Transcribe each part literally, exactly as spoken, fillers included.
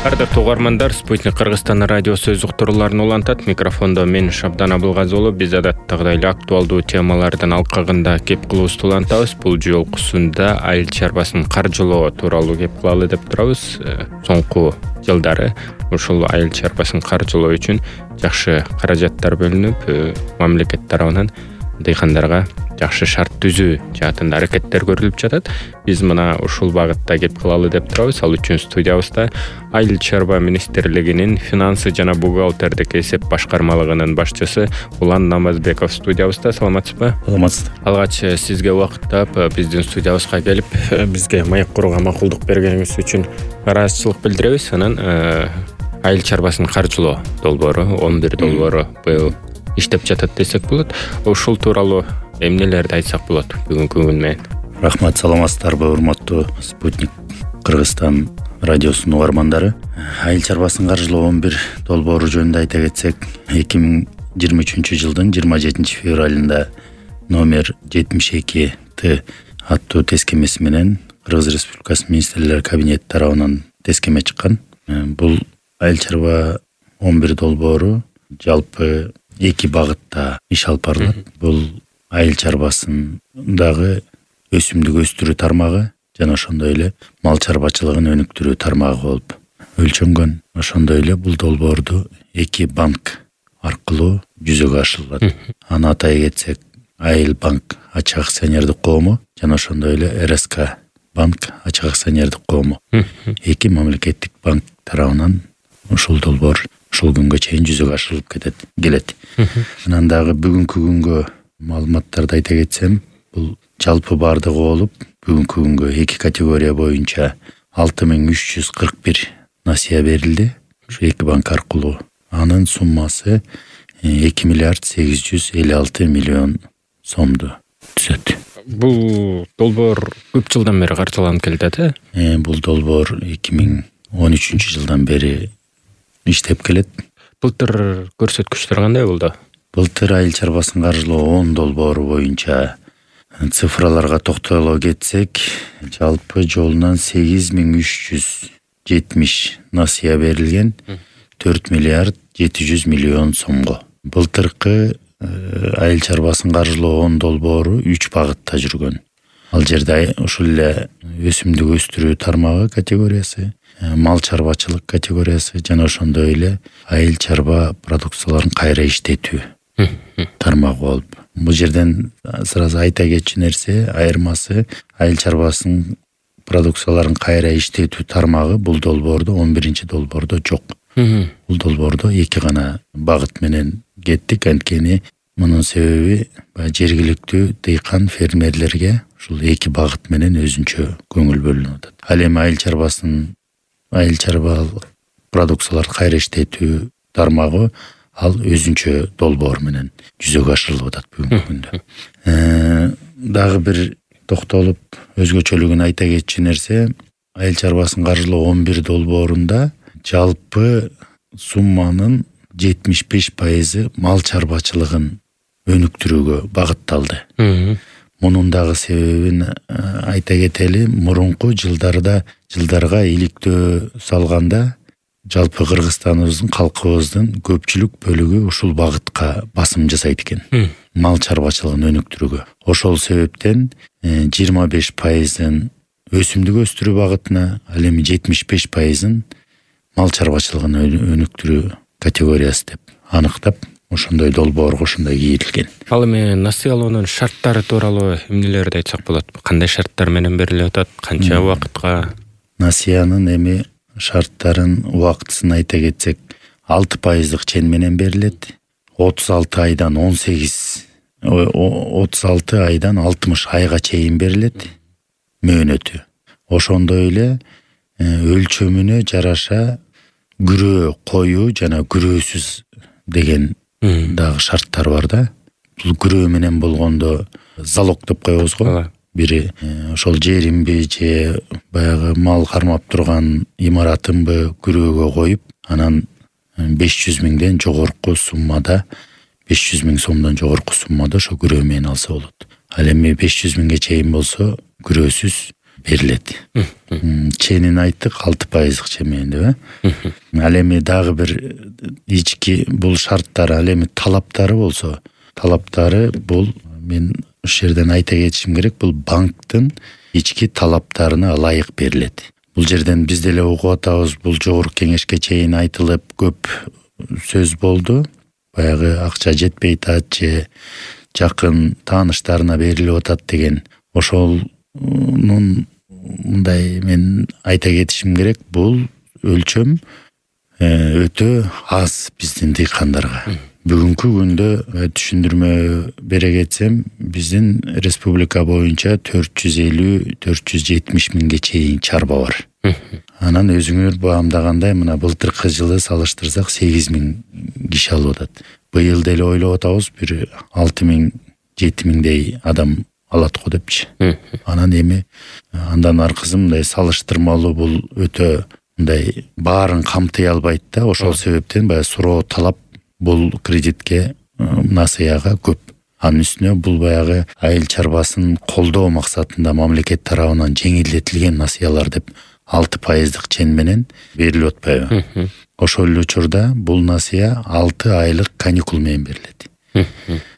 Ардактуу угармандар, Спутник Кыргызстан радиосу өз уктурууларын улантат. Микрофондо мен Шабдан Абылгазы болуп, биз адаттагыдай эле актуалдуу темалардын алкагында кеп кылуубузду улантабыз. Бул жолкусунда айыл чарбасын каржылоо тууралуу кеп кылалы деп турабыз. Соңку жылдары ушул айыл чарбасын каржылоо үчүн жакшы каражаттар бөлүнүп, мамлекет тарабынан дыйкандарга жакшы шарт түзүү жаатында аракеттер көрүлүп жатат. Биз мына ушул багытта кеп кылалы деп турабыз. Ал үчүн студиябызда Айыл чарба министрлигинин финансы жана бухгалтердик эсеп башкармалыгынын башчысы Улан Намазбеков студиябызда. Саламатсызбы? Саламатсыз. Алгач сизге убакыт таап биздин студиябызга келип, бизге маек курууга макулдук бергениңиз үчүн ыраазычылык билдиребиз. Анан айыл чарбасын каржылоо долбоору он бир долбоору быйыл иштеп жатат десек болот. Ушул тууралуу эмнелерди айтсак болот бүгүнкү күн менен? Рахмат, саламатсыздарбы, урматтуу Спутник Кыргызстан радиосунун угармандары. Айыл чарбасын каржылоо он бир долбоору жөнүндө айта кетсек, эки миң жыйырма үчүнчү жылдын жыйырма жетинчи февралында номер жетимиш эки Т аттуу тескемеси менен Кыргыз Республикасы министрлер кабинети тарабынан тескеме чыккан. Бул айыл чарба он бир долбоору жалпы эки багытта иш алып барылат. Бул айыл чарбасындагы өсүмдүк өстүрүү тармагы жана ошондой эле мал чарбачылыгын өнүктүрүү тармагы болуп өлчөнгөн. Ошондой эле бул долбоорду эки банк аркылуу жүзөгө ашырылат. Аны атай кетсек, Айыл банк ачык акционердик коому жана ошондой эле Эр Эс К банк ачык акционердик коому. Эки мамлекеттик банк тарабынан ушул долбоор ушул күнгө чейин жүзөгө ашырылып кетет келет. Анан дагы бүгүнкү күнгө маалыматтарды айта кетсем, бул жалпы бардыгы болуп, бүгүнкү күнгө эки категория боюнча алты миң үч жүз кырк бир насыя берилди. Ушу эки банк аркылуу. Анын суммасы эки миллиард сегиз жүз элүү алты миллион сомду түзөт. Бул долбоор көп жылдан бери каржыланып келет, э? Бул долбоор эки миң он үчүнчү жылдан бери иштеп келет. Былтыр көрсөткүчтөр кандай болду? Былтыр айыл чарбасын каржылоо он долбоору боюнча цифраларга токтоло кетсек, жалпы жолунан сегиз миң үч жүз жетимиш насыя берилген, төрт миллиард жети жүз миллион сомго. Былтыркы айыл чарбасын каржылоо он долбоору үч багытта жүргөн. Ал жерде ушул эле өсүмдүк өстүрүү тармагы категориясы, мал чарбачылык категориясы жана ошондой эле айыл чарба продукцияларын кайра иштетүү тармагы болуп. Бул жерден сразу айта кетчү нерсе, айырмасы айыл чарбасынын продукцияларын кайра иштетүү тармагы бул долбоордо он биринчи долбоордо жок. Бул долбоордо эки гана багыт менен кеттик. Анткени мунун себеби жергиликтүү дыйкан фермерлерге ушул эки багыт менен өзүнчө көңүл бөлүнүп атат. Ал эми айыл чарбасын айыл чарба продукцияларды кайра иштетүү тармагы ал өзүнчө долбоор менен жүзөгө ашырылып атат бүгүнкү күндө. Дагы бир токтолуп өзгөчөлүгүн айта кетчү нерсе, айыл чарбасын каржылоо он бир долбоорунда жалпы сумманын жетимиш беш пайызы мал чарбачылыгын өнүктүрүүгө багытталды. Мунун дагы себебин айта кетели, мурунку жылдарда жылдарга иликтөө салганда жалпы Кыргызстаныбыздын калкыбыздын көпчүлүк бөлүгү ушул багытка басым жасайт экен. Мал чарбачылыгын өнүктүрүүгө. Ошол себептен жыйырма беш пайызын өсүмдүк өстүрүү багытына, ал эми жетимиш беш пайызын мал чарбачылыгын өнүктүрүү категориясы деп аныктап, ошондой долбоорго ошондой кийилген. Ал эми насыялоонун шарттары тууралуу эмнелерди айтсак болот? Кандай шарттар менен берилип атат? Канча убакытка? Насыянын эми шарттарын убактысын айта кетсек, алты пайыздык чен менен берилет. отуз алты айдан он сегиз отуз алты айдан алтымыш айга чейин берилет мөөнөтү. Ошондой эле өлчөмүнө жараша күрөө коюу жана күрөөсүз деген дагы шарттар бар да. Бул күрөө менен болгондо залог деп коебуз го. Бири ошол жеримби же баягы мал кармап турган имаратымбы күрөөгө коюп, анан беш жүз миңден жогорку суммада, беш жүз миң сомдон жогорку суммада ошо күрөө менен алса болот. Ал эми беш жүз миңге чейин болсо күрөөсүз берилет. Ченин айттык алты пайыздык чемени деп э. Ал эми дагы бир ички бул шарттары, ал эми талаптары болсо, талаптары бул мен ушул жерден айта кетишим керек, бул банктын ички талаптарына ылайык берилет. Бул жерден биз деле угуп атабыз, бул жогорку кеңешке чейин айтылып көп сөз болду. Баягы акча жетпей атат же жакын тааныштарына берилип атат деген. Ошонун мындай мен айта кетишим керек, бул өлчөм өтө аз биздин дыйкандарга. Бүгүнкү күндө түшүндүрмө бере кетсем, биздин республика боюнча төрт жүз элүү төрт жүз жетимиш миңге чейин чарба бар. Анан өзүңөр баамдагандай, мына былтыркы жылы салыштырсак сегиз миң киши алып атат. Быйыл деле ойлоп атабыз, бир алты миң жети миңдей адам алат го депчи. Анан эми андан аркысы мындай салыштырмалуу бул өтө мындай баарын камтый албайт да. Ошол себептен баягы суроо талап бул кредитке насыяга көп. Анын үстүнө бул баягы айыл чарбасын колдоо максатында мамлекет тарабынан жеңилдетилген насыялар деп алты пайыздык чен менен берилип атпайбы. Ошол эле учурда бул насыя алты айлык каникул менен берилет.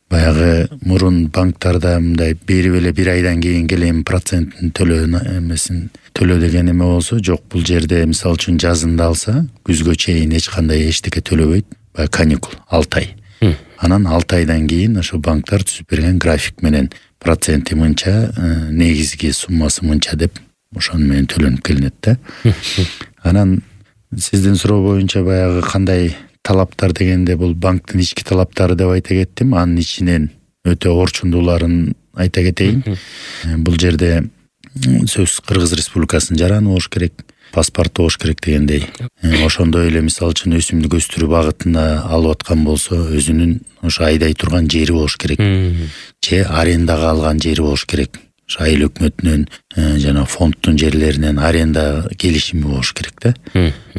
Баягы мурун банктарда мындай берип эле бир айдан кийин келем процентин төлөө эмесин төлөө деген эме болсо, жок, бул жерде мисалы үчүн жазында алса, күзгө чейин эч кандай эчтеке төлөбөйт. Баягы каникул алты ай. Анан алты айдан кийин ошо банктар түзүп берген график менен проценти мынча, негизги суммасы мынча деп ошону менен төлөнүп келинет да. Анан сиздин суроо боюнча баягы кандай талаптар дегенде, бул банктын ички талаптары деп айта кеттим. Анын ичинен өтө орчундууларын айта кетейин. Бул жерде сөзсүз Кыргыз Республикасынын жараны болуш керек, паспорту болуш керек дегендей. Ошондой эле мисалы үчүн өсүмдүк өстүрүү багытында алып аткан болсо, өзүнүн ошо айдай турган жери болуш керек. Же арендага алган жери болуш керек. Ошо айыл өкмөтүнүн жана фонддун жерлеринен аренда келишими болуш керек да.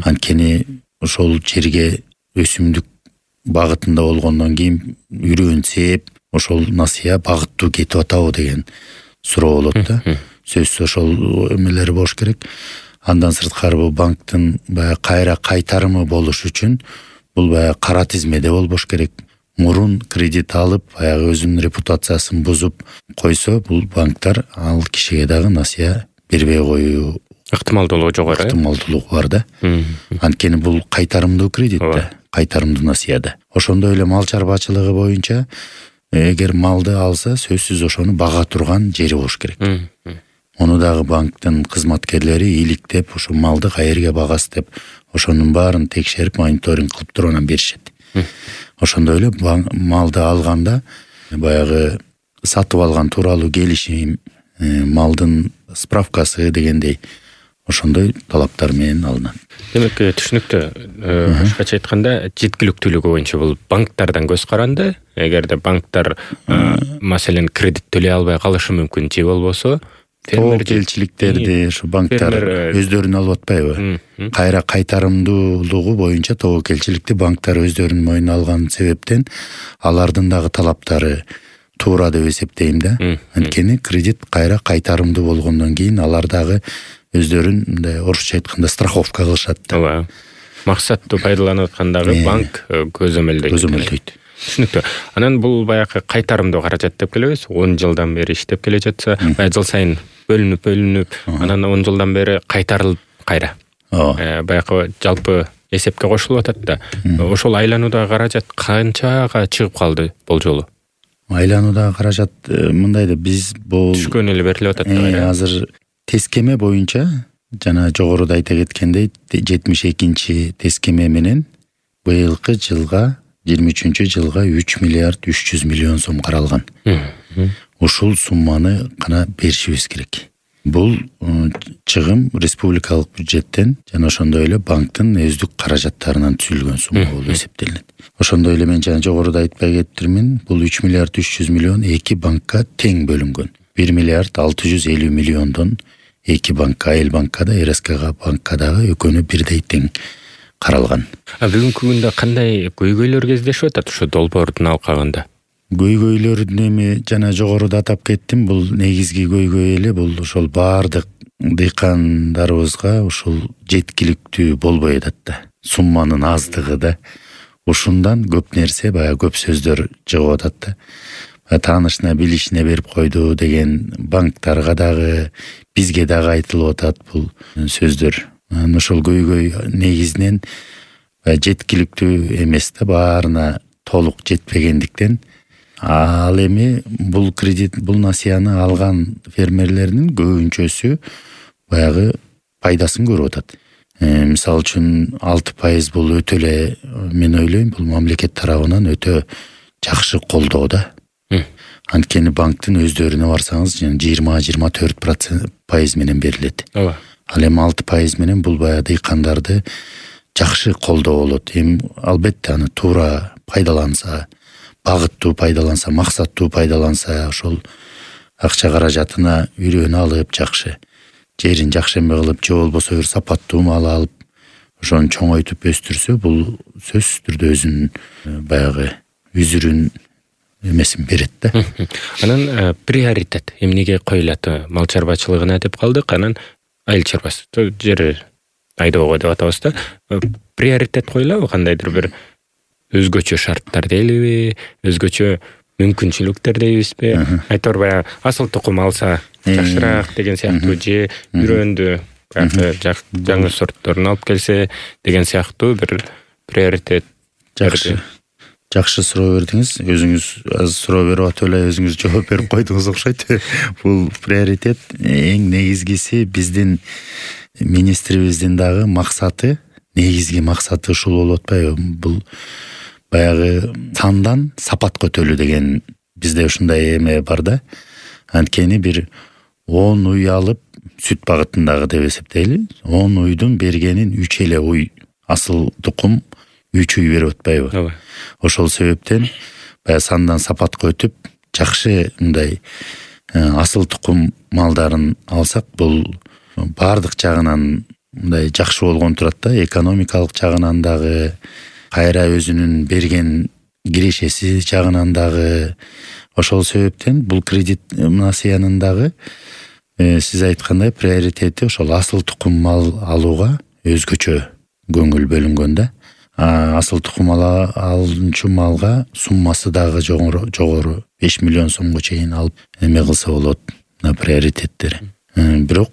Анткени ошол жерге өсүмдүк багытында болгондон кийин үрөөнсеп, ошол насыя багыттуу кетип атабы деген суроо болот да. Сөзсүз ошол эмелери болуш керек. Андан сырткары бул банктын баягы кайра кайтарымы болуш үчүн бул баягы кара тизмеде болбош керек. Мурун кредит алып, баягы өзүнүн репутациясын бузуп койсо, бул банктар ал кишиге дагы насыя бербей коюу ыктымалдуулугу жогору. Ыктымалдуулугу бар да. Анткени бул кайтарымдуу кредит да, кайтарымдуу насыя да. Ошондой эле мал чарбачылыгы боюнча эгер малды алса, сөзсүз ошону бага турган жери болуш керек. Ону дагы банктын кызматкерлери иликтеп, ошо малды каерге багасы деп, ошонун баарын текшерип, мониторинг кылып туруп анан беришет. Ошондой эле малды алганда баягы сатып алган тууралуу келишим, малдын справкасы дегендей ошондой талаптар менен алынат. Демек, түшүнүктүү. Башкача айтканда, жеткиликтүүлүгү боюнча бул банктардан көз каранды. Эгерде банктар маселен кредит төлөй албай калышы мүмкүн, же болбосо тобокелчиликтерди ушу банктар өздөрүнө алып атпайбы? Кайра кайтарымдуулугу боюнча тобокелчиликти банктар өздөрүнүн мойнуна алган себептен алардын дагы талаптары туура деп эсептейм да. Анткени кредит кайра кайтарымдуу болгондон кийин алар дагы өздөрүн мындай орусча айтканда страховка кылышат да. Ооба. Максаттуу пайдаланып аткандагы банк көзөмөлдөйт. Көзөмөлдөйт. Түшүнүктүү. Анан бул баягы кайтарымдуу каражат деп келебиз. он жылдан бери иштеп келе жатса, баягы жыл сайын бөлүнүп бөлүнүп, анан он жылдан бери кайтарылып кайра. Баягы жалпы эсепке кошулуп атат да. Ошол айлануудагы каражат канчага чыгып калды болжолу? Айлануудагы каражат мындай да, биз бул түшкөн эле берилип атат да. Азыр тескеме боюнча жана жогоруда айта кеткендей жетимиш экинчи тескеме менен быйылкы жылга жыйырма үчүнчү жылга үч миллиард үч жүз миллион сом каралган. Ушул сумманы гана беришибиз керек. Бул чыгым республикалык бюджеттен жана ошондой эле банктын өздүк каражаттарынан түзүлгөн сумма болуп эсептелинет. Ошондой эле мен жана жогоруда айтпай кетирмин, бул үч миллиард үч жүз миллион эки банкка тең бөлүнгөн. бир миллиард алты жүз элүү миллиондон эки банкка, Айыл банкка да, эр эс ка банкка дагы экөөнү бирдей тең каралган. А бүгүнкү күндө кандай көйгөйлөр кездешип атат ушу долбоордун алкагында? Көйгөйлөрдүн эми жана жогоруда атап кеттим, бул негизги көйгөй эле бул ошол баардык дыйкандарыбызга ушул жеткиликтүү болбой атат да, сумманын аздыгы да. Ушундан көп нерсе, баягы көп сөздөр чыгып атат да. Таанышына билишине берип койду деген банктарга дагы, бизге дагы айтылып атат бул сөздөр. Анан ошол көйгөй негизинен жеткиликтүү эмес да, баарына толук жетпегендиктен. Ал эми бул кредит, бул насыяны алган фермерлердин көбүнчөсү баягы пайдасын көрүп атат. Э, мисалы үчүн алты пайыз бул өтө эле, мен ойлойм, бул мамлекет тарабынан өтө жакшы колдоо да. Анткени банктын өздөрүнө барсаңыз, жыйырма жыйырма төрт пайыз менен берилет. Ооба. Ал эми алты пайыз менен бул баягы дыйкандарды жакшы колдоо болот. Эми албетте аны туура пайдаланса, багыттуу пайдаланса, максаттуу пайдаланса, ошол акча каражатына үрөөнү алып жакшы, жерин жакшембе кылып, же болбосо бир сапаттуу мал алып, ошону чоңойтуп өстүрсө, бул сөзсүз түрдө өзүнүн баягы үзүрүн эмесин берет да. Анан приоритет эмнеге коюлат? Мал чарбачылыгына деп калдык, анан айыл чарбасы жери айдоого деп атабыз да. Приоритет коюлабы, кандайдыр бир өзгөчө шарттар дейлиби, өзгөчө мүмкүнчүлүктөр дейбизби? Айтор баягы асыл тукум алса жакшыраак деген сыяктуу, же үрөндү жаңы сортторун алып келсе деген сыяктуу бир приоритет. Жакшы. Жакшы суроо бердиңиз. Өзүңүз аз суроо берип атып эле өзүңүз жооп берип койдуңуз окшойт. Бул приоритет эң негизгиси, биздин министрибиздин дагы максаты, негизги максаты ушул болуп атпайбы? Бул баягы сандан сапатка өтөлү деген бизде ушундай эме бар да. Анткени бир он уй алып сүт багытындагы деп эсептейли. он уйдун бергенин үч эле уй асыл тукум үч уй берип атпайбы? Ооба. Ошол себептен баягы сандан сапатка өтүп, жакшы мындай асыл тукум малдарын алсак, бул баардык жагынан мындай жакшы болгон турат да. Экономикалык жагынан дагы, кайра өзүнүн берген кирешеси жагынан дагы. Ошол себептен бул кредит насыянын дагы сиз айткандай приоритети ошол асыл тукум мал алууга өзгөчө көңүл бөлүнгөн да. Асыл тукум алынчу малга суммасы дагы жогору, жогору беш миллион сомго чейин алып эме кылса болот, приоритеттери. Бирок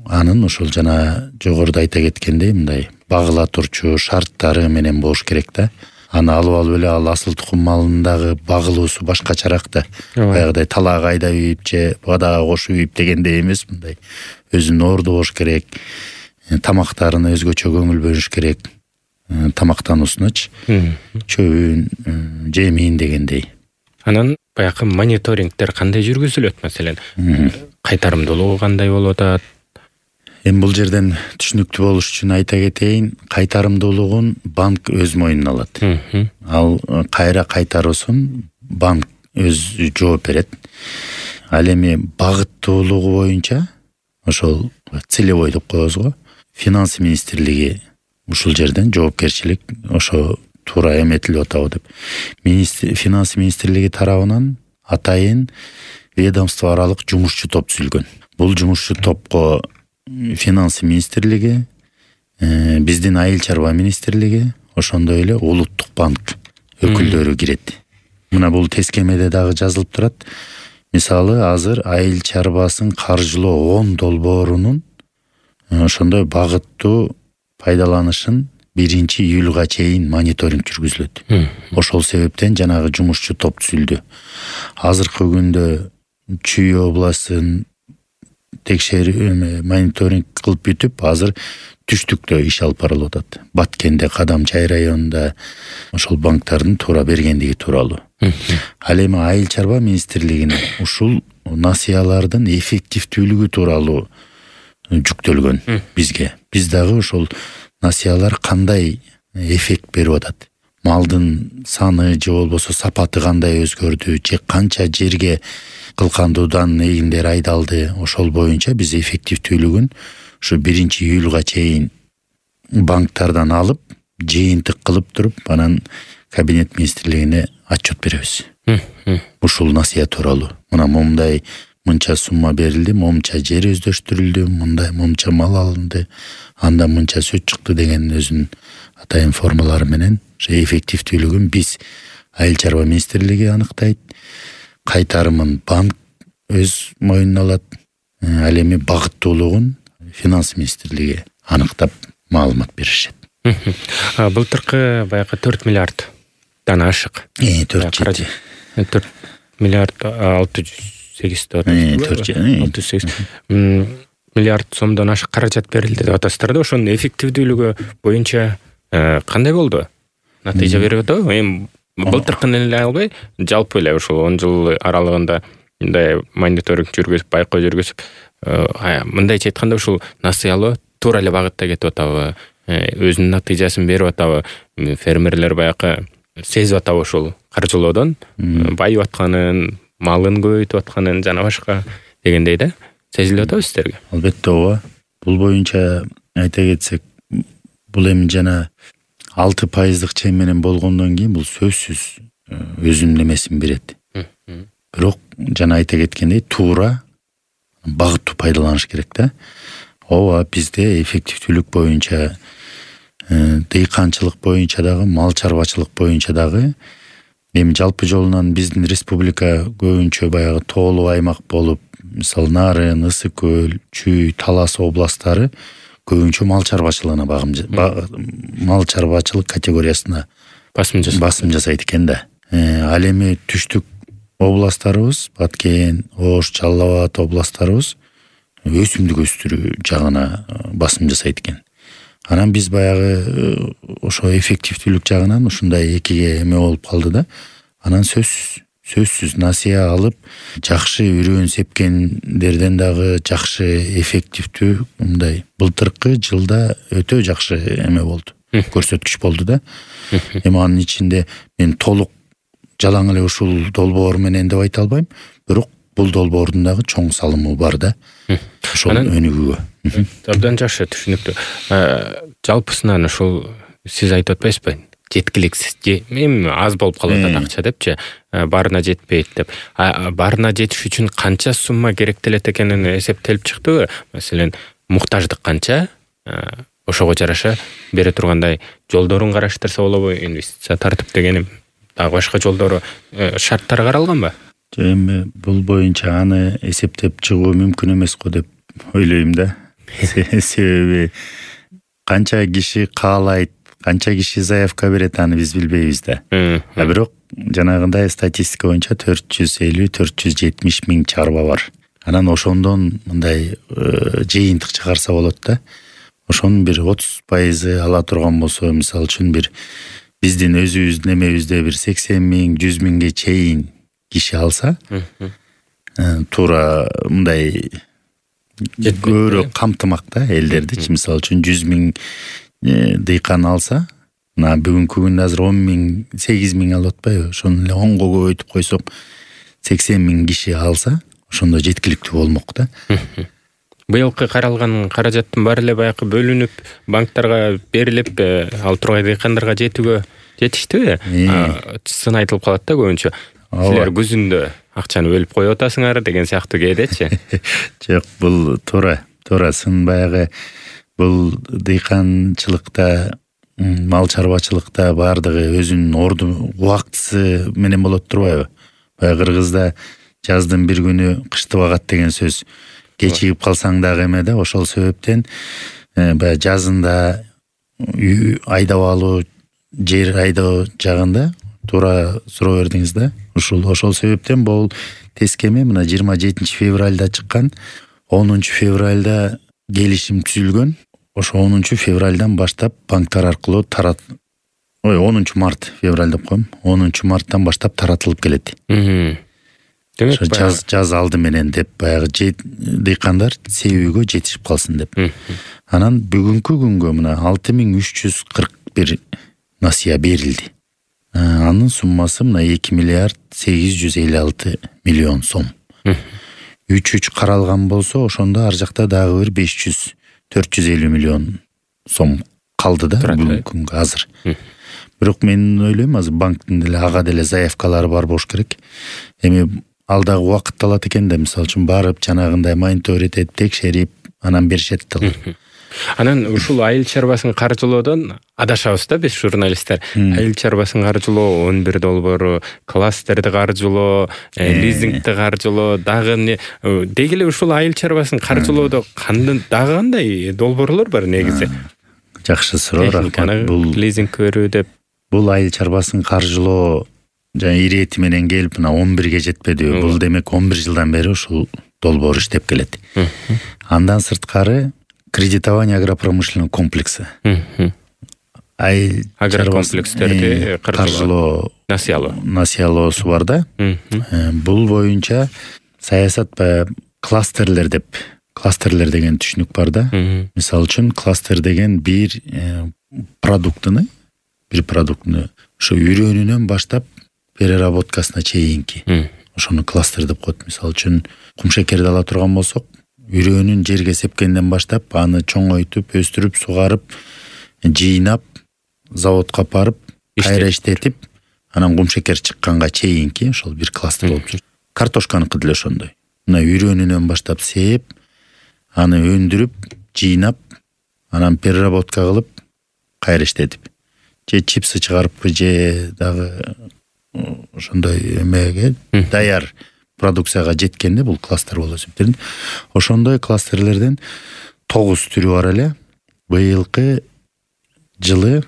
анын ошол жана жогоруда айта кеткендей мындай багыла турчу шарттары менен болуш керек да. Аны алып алып эле ал асыл тукум малындагы багылуусу башкачараак да. Баягыдай талаак айдап ийип же бадага кошуп ийип дегендей эмес, мындай өзүнүн орду болуш керек. Тамактарына өзгөчө көңүл бөлүш керек. Тамактануусуначы, чөбүн, жемин дегендей. Анан баягы мониторингдер кандай жүргүзүлөт, маселен? Кайтарымдуулугу кандай болуп атат? Эми бул жерден түшүнүктүү болуш үчүн айта кетейин, кайтарымдуулугун банк өз мойнуна алат. Ал кайра кайтаруусун банк өзү жооп берет. Ал эми багыттуулугу боюнча ошол целевой деп коебуз го, финанс министрлиги ушул жерден жоопкерчилик ошо туура эметилип атабы деп. Министр, финанс министрлиги тарабынан атайын ведомство аралык жумушчу топ түзүлгөн. Бул жумушчу топко финанс министрлиги, биздин айыл чарба министрлиги, ошондой эле улуттук банк өкүлдөрү кирет. Мына бул тескемеде дагы жазылып турат. Мисалы, азыр айыл чарбасын каржылоо он долбоорунун ошондой багыттуу пайдаланышын биринчи июлга чейин мониторинг жүргүзүлөт. Ошол себептен жанагы жумушчу топ түзүлдү. Азыркы күндө Чүй областын текшерүү мониторинг кылып бүтүп, азыр түштүктө иш алып барылып атат. Баткенде, Кадамчай районунда ошол банктардын туура бергендиги тууралуу. Ал эми айыл чарба министрлигине ушул насыялардын эффективдүүлүгү тууралуу жүктөлгөн бизге. Биз дагы ошол насыялар кандай эффект берип атат, малдын саны же болбосо сапаты кандай өзгөрдү, же канча жерге кылкандуудан эгиндер айдалды, ошол боюнча биз эффективдүүлүгүн ушу биринчи июлга чейин банктардан алып, жыйынтык кылып туруп, анан кабинет министрлигине отчет беребиз. Ушул насыя тууралуу. Мына момундай мынча сумма берилди, момунча жер өздөштүрүлдү, мындай момунча мал алынды, андан мынча сөт чыкты деген өзүнүн атайын формалары менен ошо эффективдүүлүгүн биз Айыл чарба министрлиги аныктайт, кайтарымын банк өз мойнуна алат, ал эми багыттуулугун финанс министрлиги аныктап маалымат беришет. Былтыркы баягы төрт миллиарддан ашык. Э, төрт жети. төрт миллиард алты жүз сегиз деп атасызбы? алты жүз сегиз миллиард сомдон ашык каражат берилди деп атасыздар да. Ошонун эффективдүүлүгү боюнча кандай болду? Натыйжа берип атабы? Эми былтыркыны эле албай, жалпы эле ушул он жыл аралыгында мындай мониторинг жүргүзүп, байкоо жүргүзүп, мындайча айтканда ушул насыялоо туура эле багытта кетип атабы? Өзүнүн натыйжасын берип атабы? Фермерлер баягы сезип атабы ушул каржылоодон байып атканын, малын көбөйтүп атканын жана башка дегендей да? Сезилип атабы сиздерге? Албетте ооба. Бул боюнча айта кетсек, бул эми жана алты пайыздык чек менен болгондон кийин бул сөзсүз өзүнүн эмесин берет. Бирок жана айта кеткендей туура багыттуу пайдаланыш керек да. Ооба, бизде эффективдүүлүк боюнча, дыйканчылык боюнча дагы, мал чарбачылык боюнча дагы эми жалпы жолунан биздин республика көбүнчө баягы тоолуу аймак болуп, мисалы Нарын, Ысык көл, Чүй, Талас областтары көбүнчө мал чарбачылыгына мал чарбачылык категориясына басым жасайт. Басым жасайт экен да. Ал эми түштүк областтарыбыз, Баткен, Ош, Жалал Абад областтарыбыз өсүмдүк өстүрүү жагына басым жасайт экен. Анан биз баягы ошо эффективдүүлүк жагынан ушундай экиге эме болуп калды да. Анан сөзсүз сөзсүз насыя алып, жакшы үрөөн сепкендерден дагы жакшы эффективдүү мындай былтыркы жылда өтө жакшы эме болду. Көрсөткүч болду да. Эми анын ичинде мен толук жалаң эле ушул долбоор менен деп айта албайм, бирок бул долбоордун дагы чоң салымы бар да. Ошол өнүгүүгө. Абдан жакшы, түшүнүктүү. Жалпысынан ушул сиз айтып атпайсызбы? Жеткиликсиз, эми аз болуп калып атат акча депчи, баарына жетпейт деп. Баарына жетиш үчүн канча сумма керектелет экенин эсептелип чыктыбы? Маселен, муктаждык канча? Ошого жараша бере тургандай жолдорун караштырса болобу? Инвестиция тартып дегеним, дагы башка жолдору, шарттары каралганбы? Эми бул боюнча аны эсептеп чыгуу мүмкүн эмес го деп ойлойм да. Себеби канча киши каалайт, канча киши заявка берет, аны биз билбейбиз да. А бирок жанагындай статистика боюнча төрт жүз элүү төрт жүз жетимиш миң чарба бар. Анан ошондон мындай жыйынтык чыгарса болот да. Ошонун бир отуз пайызы ала турган болсо, мисалы үчүн бир биздин өзүбүздүн эмебизде бир сексен миң жүз миңге чейин киши алса, туура мындай көбүрөөк камтымак да элдерди. Мисалы үчүн жүз миң дыйкан алса, мына бүгүнкү күндө азыр он миң, сегиз миң алып атпайбы? Ошону эле онго көбөйтүп койсок, сексен миң киши алса, ошондо жеткиликтүү болмок да. Быйылкы каралган каражаттын баары эле баягы бөлүнүп, банктарга берилип, ал тургай дыйкандарга жетүүгө жетиштиби? Сын айтылып калат да көбүнчө. Силер күзүндө акчаны бөлүп коюп атасыңар деген сыяктуу кээдечи. Жок, бул туура, туура сын баягы бул дыйканчылыкта, мал чарбачылыкта баардыгы өзүнүн орду, убактысы менен болот турбайбы? Баягы кыргызда жаздын бир күнү кышты багат деген сөз. Кечигип калсаң дагы эме да, ошол себептен баягы жазында айдап алуу, жер айдоо жагында туура суроо бердиңиз да. Ушул ошол себептен бул тескеме мына жыйырма жетинчи февралда чыккан, онунчу февралда келишим түзүлгөн. Ошо онунчу февралдан баштап банктар аркылуу тарат ой онунчу март, февраль деп коем, онунчу марттан баштап таратылып келет. Демек жаз жаз алды менен деп баягы дыйкандар себүүгө жетишип калсын деп. Анан бүгүнкү күнгө мына алты миң үч жүз кырк бир насыя берилди. Анын суммасы мына эки миллиард сегиз жүз элүү алты миллион сом. үч үч каралган болсо, ошондо ар жакта дагы бир беш жүз төрт жүз элүү миллион сом калды да бүгүнкү күнгө азыр. Бирок мен ойлойм, азыр банктын деле ага деле заявкалары бар болуш керек. Эми ал дагы убакыт алат экен да, мисалы үчүн барып жанагындай мониторить этип текшерип анан беришет да. Анан ушул айыл чарбасын каржылоодон адашабыз да биз журналисттер. Айыл чарбасын каржылоо, он бир долбоору, кластерди каржылоо, лизингди каржылоо, дагы эмне деги эле ушул айыл чарбасын каржылоодо кандай дагы кандай долбоорлор бар негизи? Жакшы суроо, рахмат. Бул лизинг көрүү деп. Бул айыл чарбасын каржылоо жана ирети менен келип мына он бирге жетпедиби? Бул демек он бир жылдан бери ушул долбоор иштеп келет. Андан сырткары кредитование агропромышленный комплекси. Айыл агрокомплекстерди каржылоо, насыялоо. Насыялоосу бар да. Бул боюнча саясат баягы кластерлер деп, кластерлер деген түшүнүк бар да. Мисалы үчүн кластер деген бир продуктуну, бир продуктуну ошо үйрөнүүнөн баштап переработкасына чейинки ошону кластер деп коет. Мисалы үчүн кумшекерди ала турган болсок, үйрөнүүн жерге сепкенден баштап аны чоңойтуп, өстүрүп, сугарып, жыйнап, заводко апарып, кайра иштетип, анан кумшекер чыкканга чейинки ошол бир кластер болуп чыгат. Картошканыкы деле ошондой. Мына үйрөнүүнөн баштап сеп, аны өндүрүп, жыйнап, анан переработка кылып, кайра иштетип, же чипсы чыгарыппы, же дагы ошондой эмеге даяр продукцияга жеткенде бул кластер болуп эсептелет. Ошондой кластерлерден тогуз түрү бар эле. Быйылкы жылы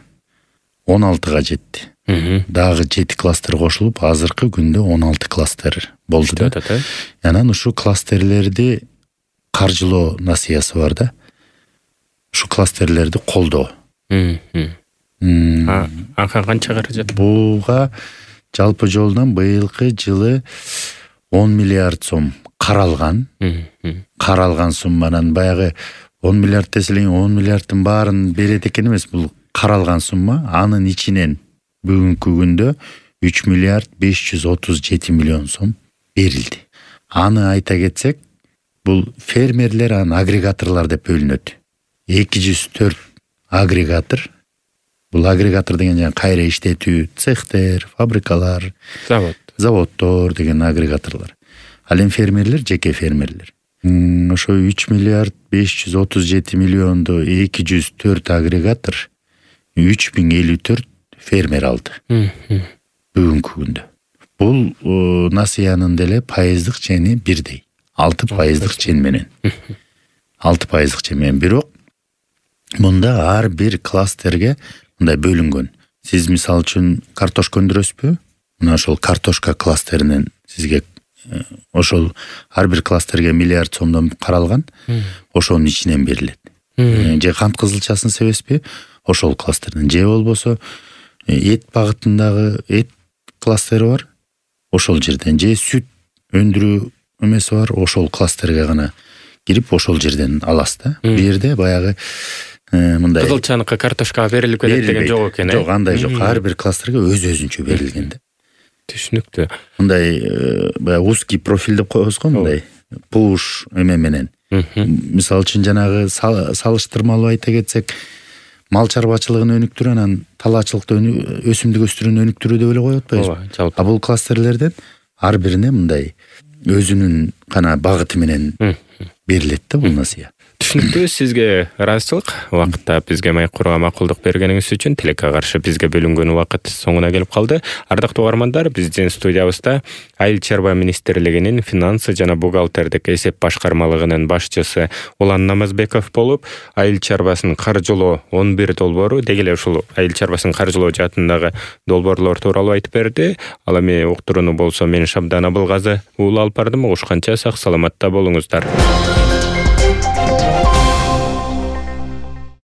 он алтыга жетти. Дагы жети кластер кошулуп, азыркы күндө он алты кластер болду да. Анан ушул кластерлерди каржылоо насыясы бар да. Ушул кластерлерди колдоо. Ага канча каражат? Буга жалпы жолдон быйылкы жылы он миллиард сом каралган. Каралган сумманан баягы он миллиард деселең он миллиарддын баарын берет экен эмес, бул каралган сумма. Анын ичинен бүгүнкү күндө үч миллиард беш жүз отуз жети миллион сом берилди. Аны айта кетсек, бул фермерлер анан агрегаторлор деп бөлүнөт. эки жүз төрт агрегатор. Бул агрегатор деген жана кайра иштетүү цехтер, фабрикалар, завод, заводдор деген агрегаторлор. Ал эми фермерлер жеке фермерлер. Ошо үч миллиард беш жүз отуз жети миллионду эки жүз төрт агрегатор үч миң элүү төрт фермер алды. Бүгүнкү күндө. Бул насыянын деле пайыздык чени бирдей. алты пайыздык чен менен. алты пайыздык чен менен. Бирок мында ар бир кластерге мындай бөлүнгөн. Сиз мисалы үчүн картошка өндүрөсүзбү? Мына ошол картошка кластеринен сизге ошол ар бир кластерге миллиард сомдон каралган, ошонун ичинен берилет. Же кант кызылчасын себесизби? Ошол кластерден. Же болбосо эт багытындагы эт кластери бар, ошол жерден. Же сүт өндүрүү эмеси бар, ошол кластерге гана кирип ошол жерден аласыз да. Бу жерде баягы мындай кызылчаныкы картошкага берилип кетет деген жок экен. Жок, андай жок. Ар бир кластерге өз-өзүнчө берилген да. Түшүнүктүү. Мындай баягы узкий профиль деп коебуз го, мындай пуш эме менен. Мисалы үчүн жанагы салыштырмалуу айта кетсек, мал чарбачылыгын өнүктүрүү анан талаачылыкты өсүмдүк өстүрүүнү өнүктүрүү деп эле коюп атпайбызбы? А бул кластерлерден ар бирине мындай өзүнүн гана багыты менен берилет да бул насыя. Түшүнүктүү, сизге ыраазычылык. Убакытта бизге маек курууга макулдук бергениңиз үчүн. Тилекке каршы бизге бөлүнгөн убакыт соңуна келип калды. Ардактуу угармандар, биздин студиябызда Айыл чарба министрлигинин финансы жана бухгалтердик эсеп башкармалыгынын башчысы Улан Намазбеков болуп, айыл чарбасын каржылоо он бир долбоору, деги эле ушул айыл чарбасын каржылоо жаатындагы долбоорлор тууралуу айтып берди. Ал эми уктурууну болсо мен Шабдан Абылгазы уулу алып бардым. Ушканча сак саламатта болуңуздар.